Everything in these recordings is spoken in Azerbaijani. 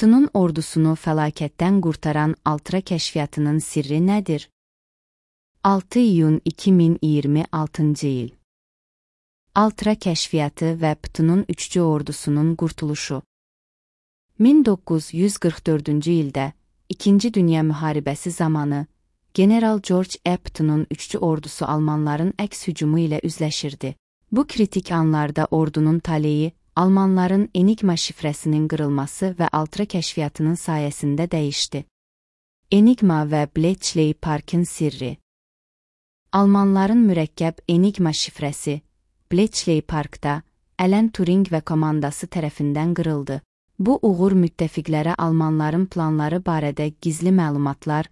PTU'nun ordusunu fəlakətdən qurtaran Altra kəşfiyyatının sirri nədir? 6 iyun 2026-cı il. Altra kəşfiyyatı və PTU'nun üçcü ordusunun qurtuluşu. 1944-cü ildə İkinci Dünya müharibəsi zamanı General George E. PTU'nun üçcü ordusu Almanların əks hücumu ilə üzləşirdi. Bu kritik anlarda ordunun taleyi Almanların Enigma şifrəsinin qırılması və Altra kəşfiyyatının sayəsində dəyişdi. Enigma və Bletchley Parkın sirri. Almanların mürəkkəb Enigma şifrəsi Bletchley Parkda Alan Turing və komandası tərəfindən qırıldı. Bu uğur müttəfiqlərə Almanların planları barədə gizli məlumatlar,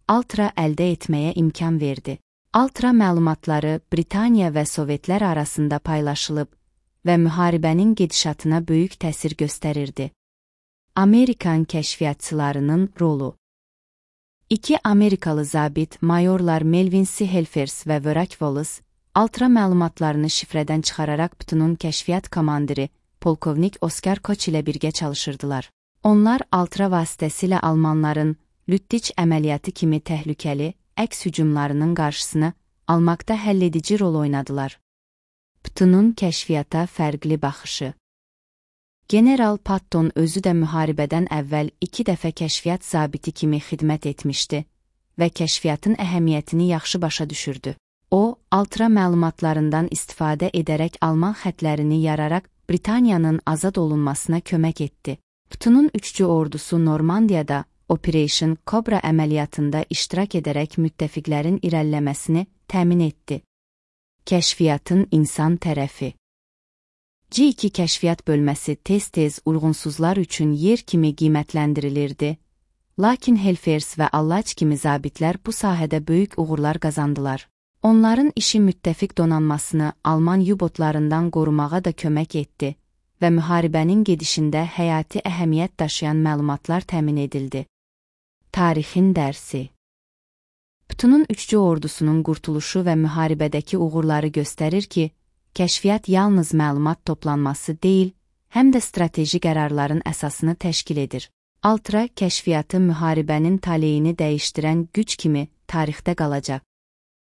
Altra əldə etməyə imkan verdi. Altra məlumatları Britaniya və Sovetlər arasında paylaşılıb və müharibənin gedişatına böyük təsir göstərirdi. Amerikan kəşfiyyatçılarının rolu. İki Amerikalı zabit mayorlar Melvin C. Helfers və Vörak Wallace, Altra məlumatlarını şifrədən çıxararaq PTU'nun kəşfiyyat komandiri polkovnik Oskar Koç ilə birgə çalışırdılar. Onlar Altra vasitəsilə Almanların Lüttich əməliyyatı kimi təhlükəli əks hücumlarının qarşısını almaqda həlledici rol oynadılar. PTU'nun kəşfiyyata fərqli baxışı. General Patton özü də müharibədən əvvəl 2 dəfə kəşfiyyat zabiti kimi xidmət etmişdi və kəşfiyyatın əhəmiyyətini yaxşı başa düşürdü. O, Altra məlumatlarından istifadə edərək Alman xətlərini yararaq Britaniyanın azad olunmasına kömək etdi. PTU'nun üçcü ordusu Normandiyada Operation Cobra əməliyyatında iştirak edərək müttəfiqlərin irəliləməsini təmin etdi. Kəşfiyyatın insan tərəfi. G2 kəşfiyyat bölməsi tez-tez uyğunsuzlar üçün yer kimi qiymətləndirilirdi, lakin Helfers və Allaç kimi zabitlər bu sahədə böyük uğurlar qazandılar. Onların işi müttəfiq donanmasını Alman U-botlarından qorumağa da kömək etdi və müharibənin gedişində həyati əhəmiyyət daşıyan məlumatlar təmin edildi. Tarixin dərsi. PTU'nun üçcü ordusunun qurtuluşu və müharibədəki uğurları göstərir ki, kəşfiyyat yalnız məlumat toplanması deyil, həm də strateji qərarların əsasını təşkil edir. Altra kəşfiyyatı müharibənin taleyini dəyişdirən güc kimi tarixdə qalacaq.